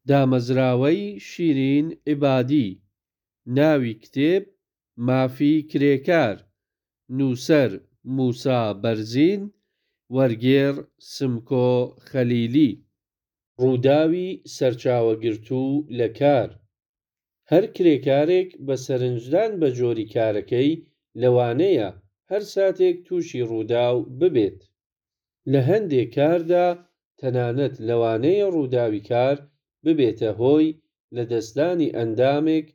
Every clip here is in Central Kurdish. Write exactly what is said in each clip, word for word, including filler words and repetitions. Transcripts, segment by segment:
دامەزراوەی شیرین عیبادی. ناوی کتێب: مافی کرێکار. نووسەر: موسا بەرزین. وەرگێڕ: سمکۆ خەلیلی. ڕووداوی سەرچاوەگرتوو لە کار. هەر کرێکارێک بە سەرنجدان بە جۆری کارەکەی، لەوانەیە هەر ساتێک تووشی ڕووداو ببێت. لە هەندێ کاردا تەنانەت لەوانەیە ڕووداوی کار ببێتە هۆی لەدەستدانی ئەندامێک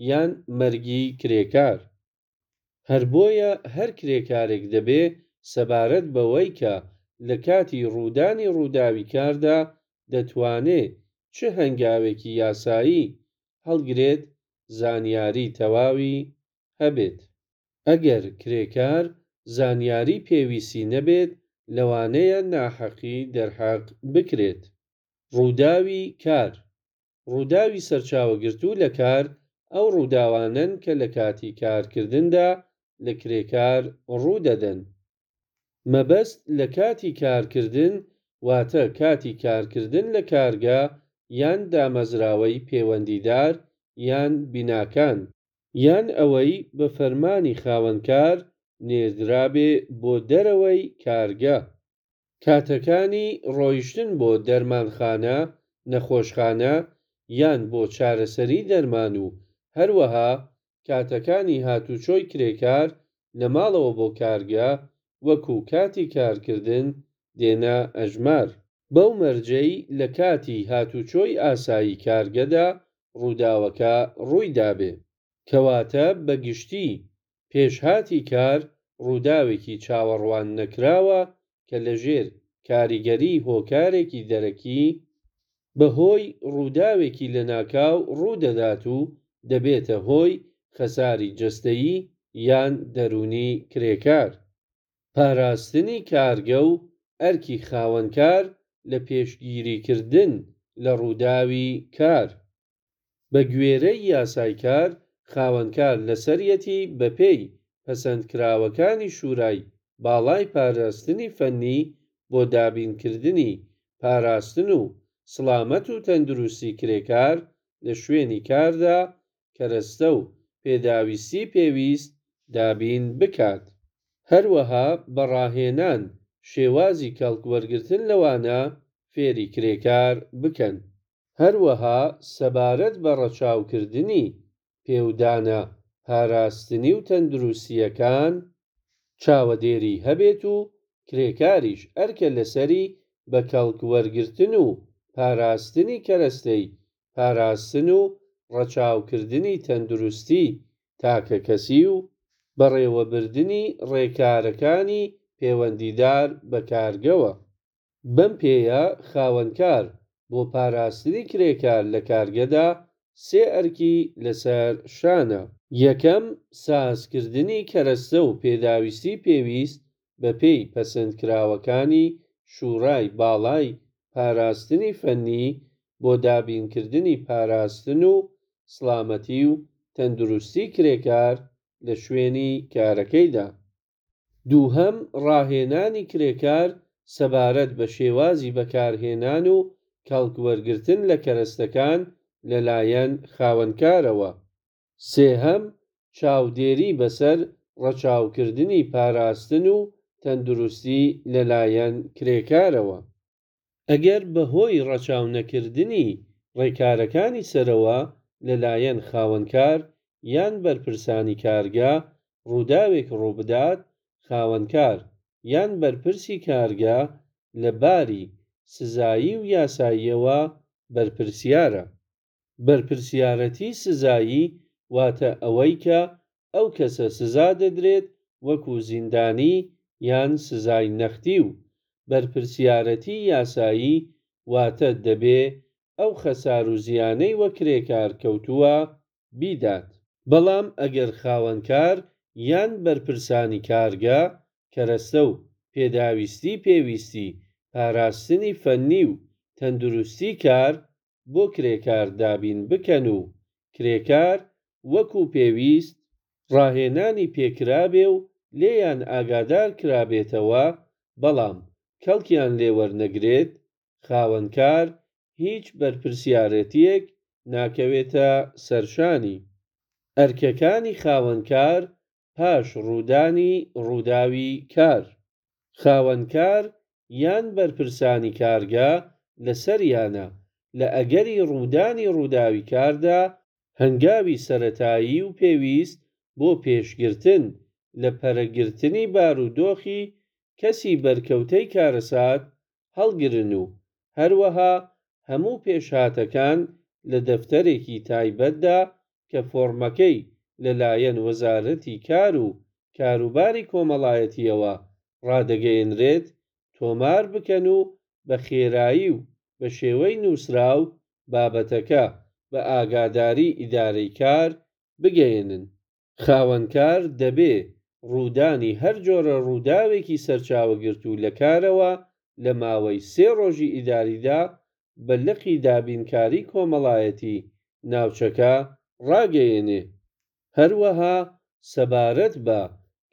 یان مەرگی کرێکار. هەر بۆیە هەر کرێکارێک دەبێ سەبارەت بەوەی کە لە کاتی ڕوودانی ڕووداوی کاردا دەتوانێ چ هەنگاوێکی یاسایی هەڵگرێت زانیاری تەواوی هەبێت. ئەگەر کرێکار زانیاری پێویستی نەبێت لەوانەیە ناحەقی دەرحەق بکرێت. ڕووداوی کار. ڕووداوی سەرچاوەگرتوو لە کار ئەو ڕووداوانەن کە لە کاتی کارکردندا لە کرێکار ڕوودەدەن. مەبەست لە کاتی کارکردن واتە کاتی کارکردن لە کارگە یان دامەزراوەی پێوەندیدار یان بیناکان، یان ئەوەی بە فەرمانی خاوەنکار نێردرابێ بۆ دەرەوەی کارگە. کاتەکانی ڕۆیشتن بۆ دەرمانخانە، نەخۆشخانە یان بۆ چارەسەری دەرمان و هەروەها کاتەکانی هاتوچۆی کرێکار لە ماڵەوە بۆ کارگە وەکوو کاتی کارکردن دێنە ئەژمار. بەو مەرجەی لە کاتی هاتوچۆی ئاسایی کارگەدا ڕووداوەکە ڕووی دابێ. کەواتە بەگشتی پێشهاتی کار ڕووداوێکی چاوەڕواننەکراوە کە لەژێر کاریگەریی هۆکارێکی دەرەکی، بە هۆی ڕووداوێکی لەناکاو ڕوو دەدات و دەبێتە هۆی خەساری جەستەیی یان دەروونیی کرێکار. پاراستنی کارگە و ئەرکی خاوەنکار لە پێشگیریکردن لە ڕووداوی کار. بە گوێرەی یاسای کار، خاوەنکار لەسەریەتی بەپێی پەسەندکراوەکانی شورای باڵای پاراستنی فەننی بۆ دابینکردنی پاراستن و سڵامەت و تەندروستی کرێکار لە شوێنی کاردا، کەرەستە و پێداویستی پێویست دابین بکات. هەروەها بە ڕاهێنان شێوازی کەڵکوەرگرتن لەوانە فێری کرێکار بکەن. هەروەها سەبارەت بە ڕەچاوکردنی پێودانە پاراستنی و تەندروستییەکان چاوەدێری هەبێت و کرێکاریش ئەرکە لەسەری بە کەڵکوەرگرتن و پاراستنی کەرەستەی پاراستن و ڕەچاوکردنی تەندروستی تاکەکەسی و بەڕێوەبردنی ڕێکارەکانی پێوەندیدار بە کارگەوە. بەم پێیە خاوەنکار بۆ پاراستنی کرێکار لە کارگەدا سێ ئەرکی لەسەر شانە. یەکەم، سازکردنی کەرەستە و پێداویستی پێویست بەپێی پەسەندکراوەکانی شورای باڵای پاراستنی فەننی بۆ دابینکردنی پاراستن و سڵامەتی و تەندروستی کرێکار لە شوێنی کارەکەیدا. دووهەم، ڕاهێنانی کرێکار سەبارەت بە شێوازی بەکارهێنان و کەڵکوەرگرتن لە کەرەستەکان لەلایەن خاوەنکارەوە. سێهەم، چاودێری بەسەر ڕەچاوکردنی پاراستن و تەندروستی لەلایەن کرێکارەوە. ئەگەر بە هۆی ڕەچاونەکردنی ڕێکارەکانی سەرەوە لەلایەن خاوەنکار یان بەرپرسانی کارگە ڕووداوێک ڕوو بدات، خاوەنکار یان بەرپرسی کارگە لە باری سزایی و یاساییەوە بەرپرسیارە. بەرپرسیارەتی سزایی واتە ئەوەی کە ئەو کەسە سزا دەدرێت وەکوو زیندانی یان سزای نەختی و بەرپرسیارەتی یاسایی واتە دەبێ ئەو خەسار و زیانەی وە کرێکار کەوتووە بیدات. بەڵام ئەگەر خاوەنکار یان بەرپرسانی کارگە کەرەستە و پێداویستی پێویستی پاراستنی فەننی و تەندروستی کار بۆ کرێکار دابین بکەن و کرێکار وەکوو پێویست ڕاهێنانی پێ کرابێ و لێیان ئاگادار کرابێتەوە بەڵام کەڵکیان لێ وەرنەگرێت، خاوەنکار هیچ بەرپرسیارەتییەک ناکەوێتە سەرشانی. ئەرکەکانی خاوەنکار پاش ڕوودانی ڕووداوی کار. خاوەنکار یان بەرپرسانی کارگە لەسەریانە لە ئەگەری ڕوودانی ڕووداوی کاردا هەنگاوی سەرەتایی و پێویست بۆ پێشگرتن لە پەرەگرتنی بارودۆخی کەسی بەرکەوتەی کارەسات هەڵگرن و هەروەها هەموو پێشهاتەکان لە دەفتەرێکی تایبەتدا کە فۆرمەکەی لە لایەن وەزارەتی کار و کاروباری کۆمەڵایەتییەوە ڕادەگەیەنرێت تۆمار بکەن و بە خێرایی و بە شێوەی نووسراو بابەتەکە بە ئاگاداری ئیدارەی کار بگەیەنن. خاوەنکار دەبێ ڕوودانی هەر جۆرە ڕووداوێکی سەرچاوەگرتوو لە کارەوە لە ماوەی سێ ڕۆژی ئیداریدا بە لقی دابینکاریی کۆمەڵایەتی ناوچەکە ڕاگەیەنێ. هەروەها سەبارەت بە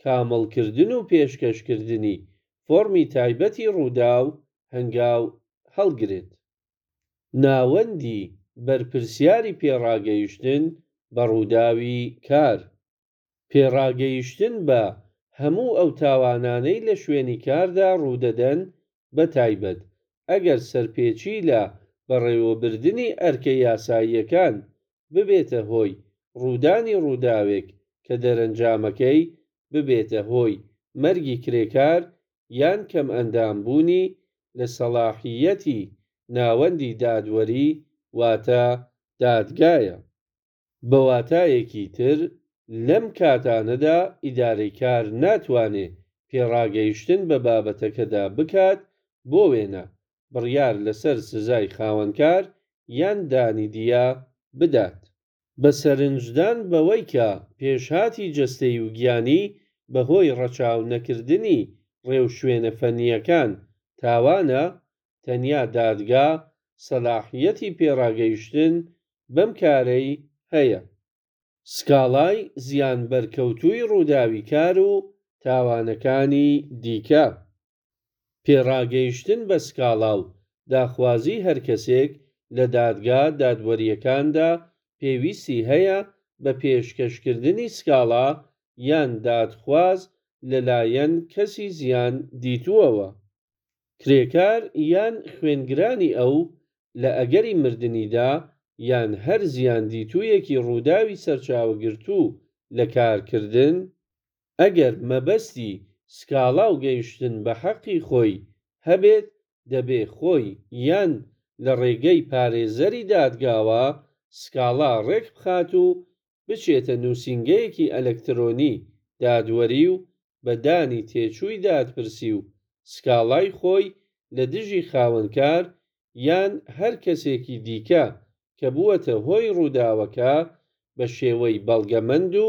کامڵکردن و پێشکەشکردنی فۆڕمی تایبەتی ڕووداو هەنگاو هەڵگرێت. ناوەندی بەرپرسیاری پێڕاگەیشتن بە ڕووداوی کار. پێڕاگەیشتن بە هەموو ئەو تاوانانەی لە شوێنی کاردا ڕوودەدەن، بەتایبەت ئەگەر سەرپێچی لە بەڕێوەبردنی ئەرکە یاساییەکان ببێتە هۆی ڕوودانی ڕووداوێک کە دەرەنجامەکەی ببێتە هۆی مەرگی کرێکار یان کەمئەندامبوونی، لە سەڵاحییەتی ناوەندی دادوەری واتە دادگایە. بە واتایەکی تر لەم کاتانەدا ئیدارەی کار ناتوانێ پێڕاگەیشتن بە بابەتەکەدا بکات بۆ وێنە بڕیار لەسەر سزای خاوەنکار یان دانی دیە بدات. بە سەرنجدان بەوەی کە پێشهاتی جەستەیی و گیانی بە هۆی ڕەچاونەکردنی ڕێوشوێنە فەننییەکان تاوانە، تەنیا دادگا سەلاحییەتی پێڕاگەیشتن بەم کارەی هەیە. سکاڵای زیانبەرکەوتووی ڕووداوی کار و تاوانەکانی دیکە. پێڕاگەیشتن بە سکاڵا و داخوازیی هەر کەسێک لە دادگا دادوەرییەکاندا پێویستی هەیە بە پێشکەشکردنی سکاڵا یان دادخواز لە لایەن کەسی زیان دیتووەوە. کرێکار یان خوێنگرانی ئەو، لە ئەگەری مردنیدا یان هەر زیاندیتوویەکی ڕووداوی سەرچاوەگرتوو لە کارکردن، ئەگەر مەبەستی سکاڵا و گەیشتن بە حەقی خۆی هەبێت دەبێ خۆی یان لە ڕێگەی پارێزەری دادگاوە سکاڵا ڕێک بخات و بچێتە نووسینگەیەکی ئەلکترۆنی دادوەری و بە دانی تێچووی دادپرسی و سکاڵای خۆی لە دژی خاوەنکار یان هەر کەسێکی دیکە کە بووەتە هۆی ڕووداوەکە بە شێوەی بەڵگەمەند و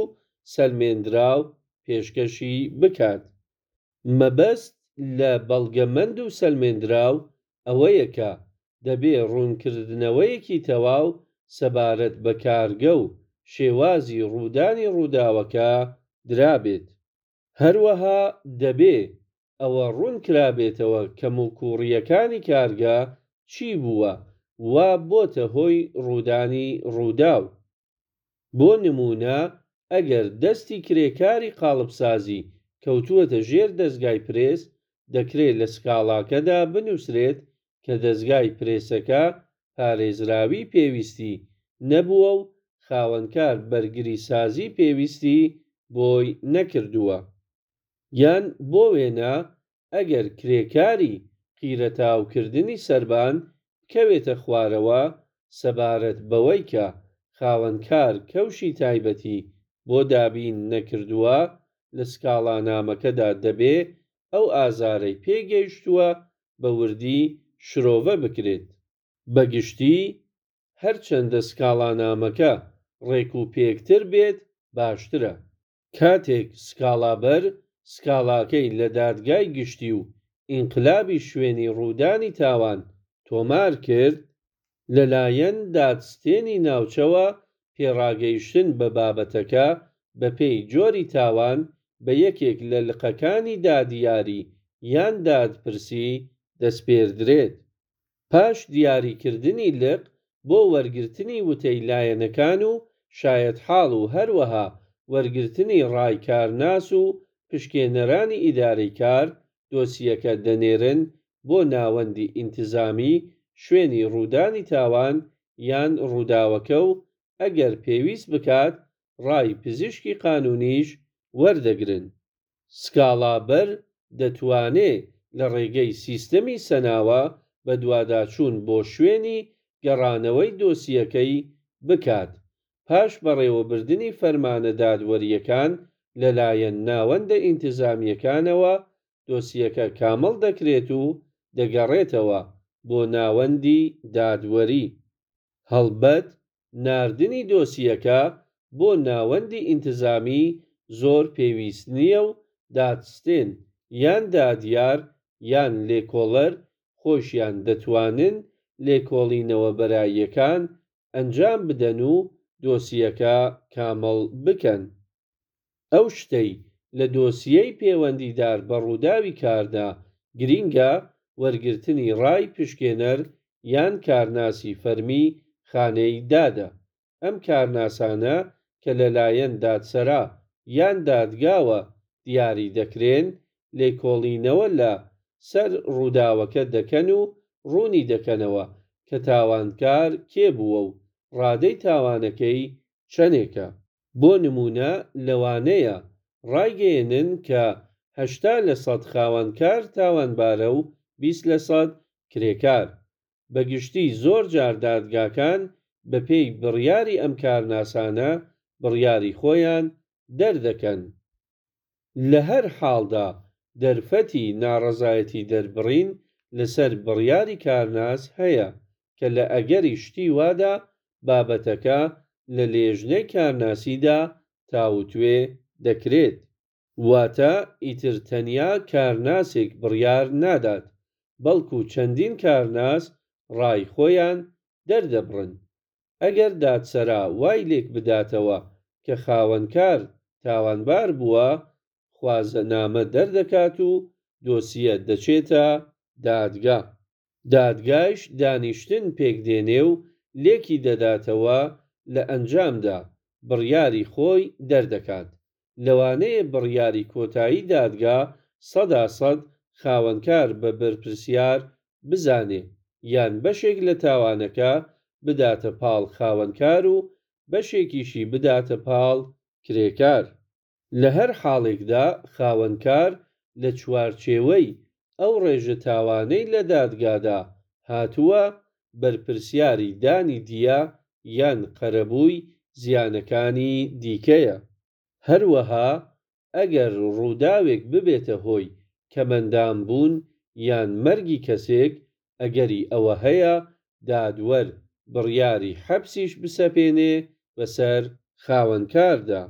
سەلمێنراو پێشکەشی بکات. مەبەست لە بەڵگەمەند و سەلمێنراو ئەوەیە کە دەبێ ڕوونکردنەوەیەکی تەواو سەبارەت بە کارگە و شێوازی ڕوودانی ڕووداوەکە درابێت. هەروەها دەبێ ئەوە ڕوون کرابێتەوە کەموکووڕییەکانی کارگە چی بووە وا بۆتە هۆی ڕوودانی ڕووداو. بۆ نموونە ئەگەر دەستی کرێکاری قاڵبسازی کەوتووەتە ژێر دەزگای پرێس، دەکرێ لە سکاڵاکەدا بنووسرێت کە دەزگای پرێسەکە پارێزراویی پێویستی نەبووە و خاوەنکار بەرگریسازیی پێویستی بۆی نەکردووە. یان بۆ وێنە ئەگەر کرێکاری قیرتاوکردنی سەربان بکەوێتە خوارەوە، سەبارەت بەوەی کە خاوەنکار کەوشی تایبەتی بۆ دابین نەکردووە، لە سکاڵانامەکەدا دەبێ ئەو ئازارەی پێی گەیشتووە بە وردی شرۆڤە بکرێت. بە گشتی هەرچەندە سکاڵانامەکە ڕێکوپێکتر بێت باشترە. کاتێک سکاڵابەر سکاڵاکەی لە دادگای گشتی و ئینقلابی شوێنی ڕوودانی تاوان تۆمار کرد، لە لایەن دادستێنی ناوچەوە پێڕاگەیشتن بە بابەتەکە بەپێی جۆری تاوان بە یەکێک لە لقەکانی دادیاری یان دادپرسی دەسپێردرێت. پاش دیاریکردنی لق بۆ وەرگرتنی وتەی لایەنەکان و شایەتحاڵ و هەروەها وەرگرتنی ڕای کارناس و پشکێنەرانی ئیدارەی کار، دۆسیەکە دەنێرن بۆ ناوەندی ئینتزامی شوێنی ڕوودانی تاوان یان ڕووداوەکە و ئەگەر پێویست بکات ڕای پزیشکی قانونیش وەردەگرن. سکاڵابەر دەتوانێ لە ڕێگەی سیستەمی سەناوە بەدواداچوون بۆ شوێنی گەڕانەوەی دۆسیەکەی بکات. پاش بەڕێوەبردنی فەرمانە دادوەرییەکان لەلایەن ناوەندە ئینتزامیەکانەوە، دۆسیەکە کامڵ دەکرێت و دەگەڕێتەوە بۆ ناوەندی دادوەری. هەڵبەت ناردنی دۆسیەکە بۆ ناوەندی ئینتزامی زۆر پێویست نییە و دادستێن یان دادیار یان لێکۆڵەر خۆشیان دەتوانن لێکۆڵینەوە بەراییەکان ئەنجام بدەن و دۆسیەکە کامڵ بکەن. ئەو شتەی لە دۆسیەی پێوەندیدار بە ڕووداوی کاردا گرینگە، وەرگرتنی ڕای پشکێنەر یان کارناسی فەرمی خانەی دادە. ئەم کارناسانە کە لەلایەن دادسەرا یان دادگاوە دیاری دەکرێن، لێکۆڵینەوە لە سەر ڕووداوەکە دەکەن و ڕوونی دەکەنەوە کە تاوانکار کێ بووە و ڕادەی تاوانەکەی چەندێکە. بۆ نموونە لەوانەیە ڕایگەیەنن کە هەشتا لە سەد خاوەنکار تاوانبارە و بیست لە سەد کرێکار. بە گشتی زۆر جار دادگاکان بە پێی بڕیاری ئەم کارناسانە بڕیاری خۆیان دەردەکەن. لە هەر حاڵدا دەرفەتی ناڕەزایەتیدەربڕین لەسەر بڕیاری کارناس هەیە کە لە ئەگەری شتی وادا بابەتەکە لە لێژنەی کارناسیدا تاوتوێ دەکرێت. واتە ئیتر تەنیا کارناسێک بڕیار نادات، بەڵکوو چەندین کارناس ڕای خۆیان دەردەبڕن. ئەگەر دادسەرا وای لێک بداتەوە کە خاوەنکار تاوانبار بووە، خوازەنامە دەردەکات و دۆسیە دەچێتە دادگا. دادگایش دانیشتن پێک دێنێ و لێکی دەداتەوە لە ئەنجامدا بڕیاری خۆی دەردەکات. لەوانەیە بڕیاری کۆتایی دادگا سەدا سەد خاوەنکار بە بەرپرسیار بزانێ یان بەشێک لە تاوانەکە بداتە پاڵ خاوەنکار و بەشێکیشی بداتە پاڵ کرێکار. لە هەر حاڵێکدا خاوەنکار لە چوارچێوەی ئەو ڕێژە تاوانەی لە دادگادا هاتووە، بەرپرسیاری دانی دیە یان قەرەبووی زیانەکانی دیکەیە. هەروەها ئەگەر ڕووداوێک ببێتە هۆی کەمئەندامبوون یان مەرگی کەسێک، ئەگەری ئەوە هەیە دادوەر بڕیاری حەپسیش بسەپێنێ بەسەر خاوەنکاردا.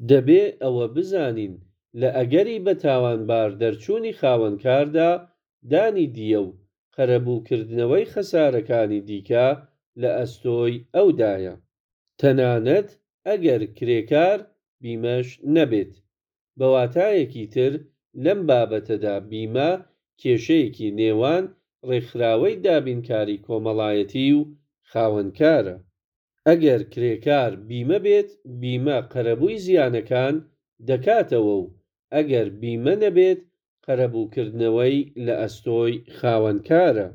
دەبێ ئەوە بزانین لە ئەگەری بە تاوانبار دەرچوونی خاوەنکاردا، دانی دیە و قەرەبووکردنەوەی خەسارەکانی دیکە لە ئەستۆی ئەودایە. تەنانەت ئەگەر کرێکار بیمەش نەبێت. بە واتایەکی تر لەم بابەتەدا بیمە کێشەیەکی نێوان ڕێکخراوەی دابینکاری کۆمەڵایەتی و خاوەنکارە. ئەگەر کرێکار بیمە بێت، بیمە قەرەبووی زیانەکان دەکاتەوە و ئەگەر بیمە نەبێت قەرەبووکردنەوەی لە ئەستۆی خاوەنکارە.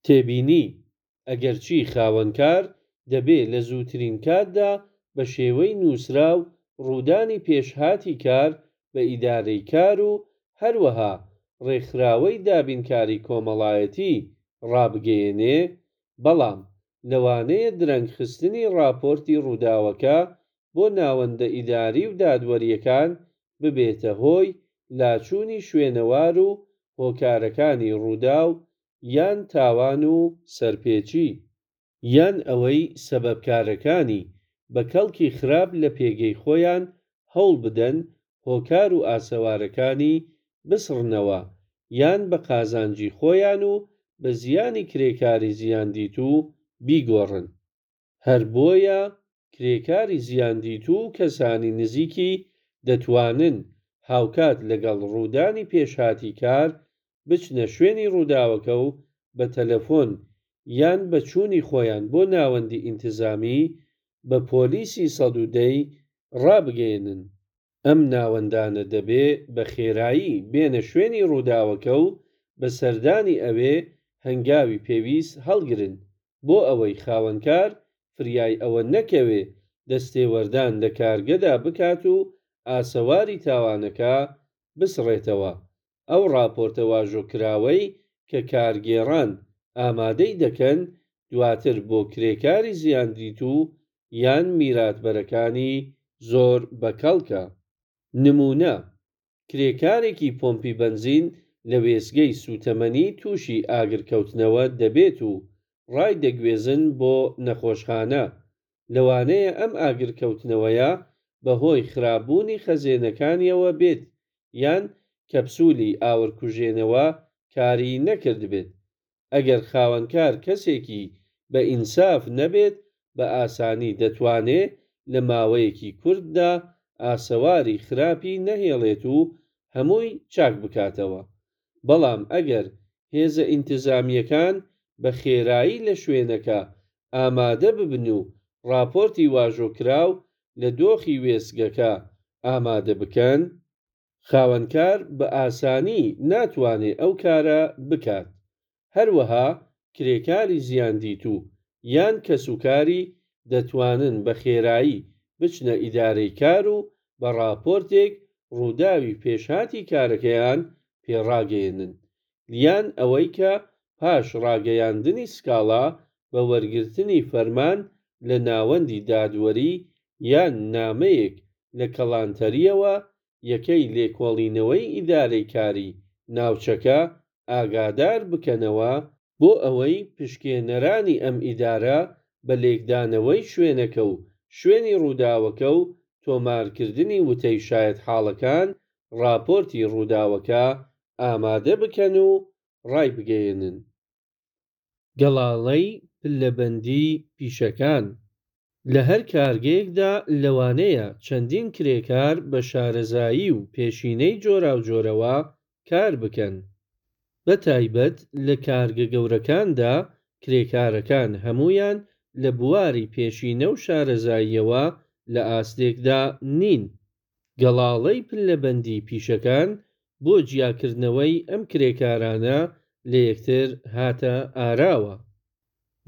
تێبینی: ئەگەرچی خاوەنکار دەبێ لە زووترین کاتدا بە شێوەی نووسراو ڕوودانی پێشهاتی کار بە ئیدارەی کار و هەروەها ڕێکخراوەی دابینکاری کۆمەڵایەتی ڕابگەیەنێ، بەڵام لەوانەیە درەنگخستنی ڕاپۆرتی ڕووداوەکە بۆ ناوەندە ئیداری و دادوەرییەکان ببێتە هۆی لاچوونی شوێنەوار و هۆکارەکانی ڕووداو یان تاوان و سەرپێچی، یان ئەوەی سەبەبکارەکانی بە کەڵکی خراپ لە پێگەی خۆیان هەوڵ بدەن هۆکار و ئاسەوارەکانی بسڕنەوە یان بە قازانجی خۆیان و بە زیانی کرێکاری زیاندیتوو بیگۆڕن. هەر بۆیە کرێکاری زیاندیتوو و کەسانی نزیکی دەتوانن هاوکات لەگەڵ ڕوودانی پێشهاتی کار بچنە شوێنی ڕووداوەکە و بە تەلەفۆن یان بە چوونی خۆیان بۆ ناوەندی ئینتزامی بە پۆلیسی سەد و دە ی ڕابگەیەنن. ئەم ناوەندانە دەبێ بە خێرایی بێنە شوێنی ڕووداوەکە و بە سەردانی ئەوێ هەنگاوی پێویست هەڵگرن بۆ ئەوەی خاوەنکار فریای ئەوە نەکەوێ دەستێوەردان لە کارگەدا بکات و ئاسەواری تاوانەکە بسڕێتەوە. ئەو ڕاپۆرتە واژۆکراوەی کە کارگێڕان ئامادەی دەکەن دواتر بۆ کرێکاری زیاندیتوو یان میراتبەرەکانی زۆر بەکەڵکە. نموونە، کرێکارێکی پۆمپی بەنزین لە وێستگەی سووتەمەنی تووشی ئاگرکەوتنەوە دەبێت و ڕایدەگوێزن بۆ نەخۆشخانە. لەوانەیە ئەم ئاگرکەوتنەوەیە بە هۆی خراپبوونی خەزێنەکانیەوە بێت یان کەپسولی ئاورکوژێنەوە کاری نەکردبێت. ئەگەر خاوەنکار کەسێکی بە ئینساف نەبێت بە ئاسانی دەتوانێ لە ماوەیەکی کورتدا ئاسەواری خراپی نەهێڵێت و هەمووی چاک بکاتەوە. بەڵام ئەگەر هێزە ئینتزامییەکان بە خێرایی لە شوێنەکە ئامادە ببن و ڕاپۆرتی واژۆکراو لە دۆخی وێستگەکە ئامادە بکەن، خاوەنکار بە ئاسانی ناتوانێ ئەو کارە بکات. هەروەها کرێکاری زیاندیتوو یان کەسوکاری دەتوانن بە خێرایی بچنە ئیدارەی کار و بە ڕاپۆرتێک ڕووداوی پێشهاتی کارەکەیان پێ ڕاگەیەنن. یان ئەوەی کە پاش ڕاگەیاندنی سکاڵا بە وەرگرتنی فەرمان لە ناوەندی دادوەری یان نامەیەک لە کەڵانتەرییەوە یەکەی لێکۆڵینەوەی ئیدارەی کاری ناوچەکە ئاگادار بکەنەوە بۆ ئەوەی پشکێنەرانی ئەم ئیدارە بە لێکدانەوەی شوێنەکە و شوێنی ڕووداوەکە و تۆمارکردنی وتەی شایەتحاڵەکان ڕاپۆرتی ڕووداوەکە ئامادە بکەن و ڕایبگەیەنن. گەڵاڵەی پلەبەندیی پیشەکان. لە هەر کارگەیەکدا لەوانەیە چەندین کرێکار بە شارەزایی و پێشینەی جۆراوجۆرەوە کار بکەن. بە تایبەت لە کارگە گەورەکاندا کرێکارەکان هەموویان لە بواری پێشینە و شارەزاییەوە لە ئاستێکدا نین. گەڵاڵەی پلەبەندیی پیشەکان بۆ جیاکردنەوەی ئەم کرێکارانە لە یەکتر هاتە ئاراوە.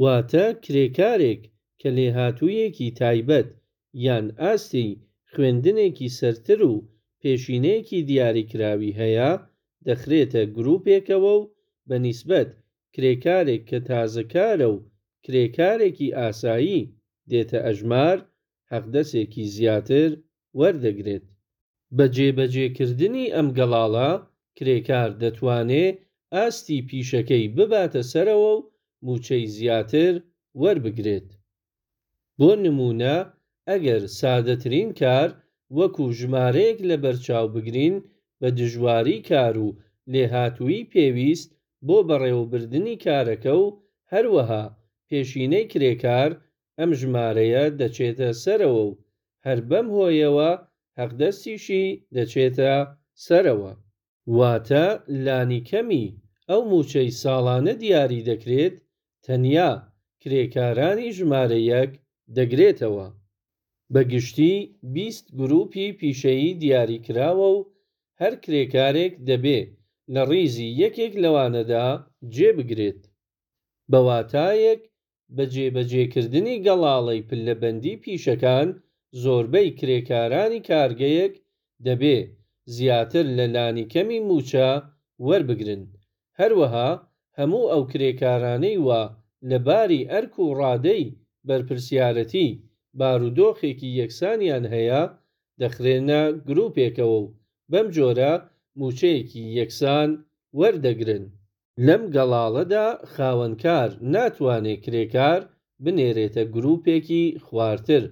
واتە کرێکارێک کە لێهاتووییەکی تایبەت یان ئاستی خوێندنێکی سەرتر و پێشینەیەکی دیاریکراوی هەیە، دەخرێتە گرووپێکەوە و بە نیسبەت کرێکارێک کە تازەکارە و کرێکارێکی ئاسایی دێتە ئەژمار، حەقدەستێکی زیاتر وەردەگرێت. بە جێبەجێکردنی ئەم گەڵاڵە، کرێکار دەتوانێ ئاستی پیشەکەی بباتە سەرەوە و مووچەی زیاتر وەربگرێت. بۆ نموونە ئەگەر سادەترین کار وەکوو ژمارەیەک لەبەرچاو بگرین، بە دژواریی کار و لێهاتوویی پێویست بۆ بەڕێوەبردنی کارەکە و هەروەها پێشینەی کرێکار، ئەم ژمارەیە دەچێتە سەرەوە و هەر بەم هۆیەوە حەقدەستیشی دەچێتە سەرەوە. واتە لانیکەمی ئەو مووچەی ساڵانە دیاری دەکرێت، تەنیا کرێکارانی ژمارە یەک دەگرێتەوە. بە گشتی بیست گرووپی پیشەیی دیاری کراوە و هەر کرێکارێک دەبێ لە ڕیزی یەکێک لەوانەدا جێ بگرێت. بە واتایەک بە جێبەجێکردنی گەڵاڵەی پلەبەندیی پیشەکان زۆربەی کرێکارانی کارگەیەک دەبێ زیاتر لە لانیکەمی مووچە وەربگرن. هەروەها هەموو ئەو کرێکارانەی وا لە باری ئەرک و ڕادەی بەرپرسیارەتی بارودۆخێکی یەکسانیان هەیە، دەخرێنە گرووپێکەوە و بەم جۆرە مووچەیەکی یەکسان وەردەگرن. لەم گەڵاڵەدا خاوەنکار ناتوانێ کرێکار بنێرێتە گرووپێکی خوارتر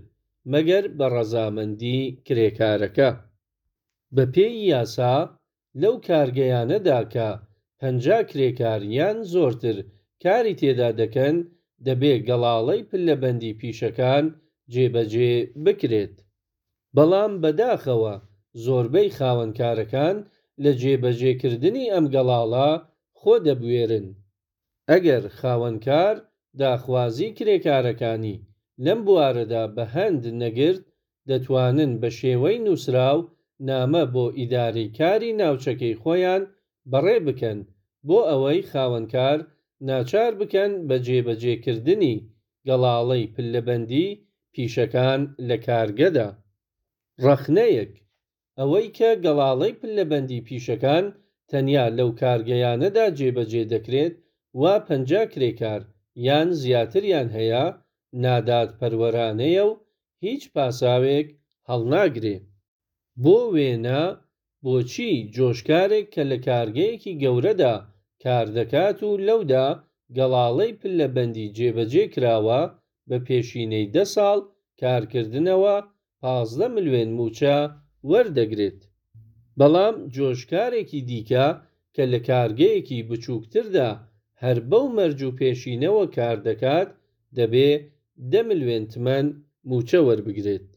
مەگەر بە ڕەزامەندیی کرێکارەکە. بەپێی یاسا لەو کارگەیانەدا کە پەنجا کرێکار یان زۆرتر کاری تێدا دەکەن دەبێ گەڵاڵەی پلەبەندیی پیشەکان جێبەجێ بکرێت. بەڵام بەداخەوە زۆربەی خاوەنکارەکان لە جێبەجێکردنی ئەم گەڵاڵە خۆ دەبوێرن. ئەگەر خاوەنکار داخوازیی کرێکارەکانی لەم بوارەدا بە هەند نەگرت، دەتوانن بە شێوەی نووسراو نامە بۆ ئیدارەی کاری ناوچەکەی خۆیان بەڕێ بکەن بۆ ئەوەی خاوەنکار ناچار بکەن بە جێبەجێکردنی گەڵاڵەی پلەبەندیی پیشەکان لە کارگەدا. ڕەخنەیەک: ئەوەی کە گەڵاڵەی پلەبەندیی پیشەکان تەنیا لەو کارگەیانەدا جێبەجێ دەکرێت وا پەنجا کرێکار یان زیاتریان هەیە، نادادپەروەرانەیە و هیچ پاساوێک هەڵناگرێ. بۆ وێنە بۆچی جۆشکارێک کە لە کارگەیەکی گەورەدا کار دەکات و لەودا گەڵاڵەی پلەبەندی جێبەجێ کراوە، بە پێشینەی دە ساڵ کارکردنەوە پازدە ملوێن مووچە وەردەگرێت، بەڵام جۆشکارێکی دیکە کە لە کارگەیەکی بچووکتردا هەر بەو مەرج و پێشینەوە کار دەکات، دەبێ دە ملوێن تمەن مووچە وەربگرێت؟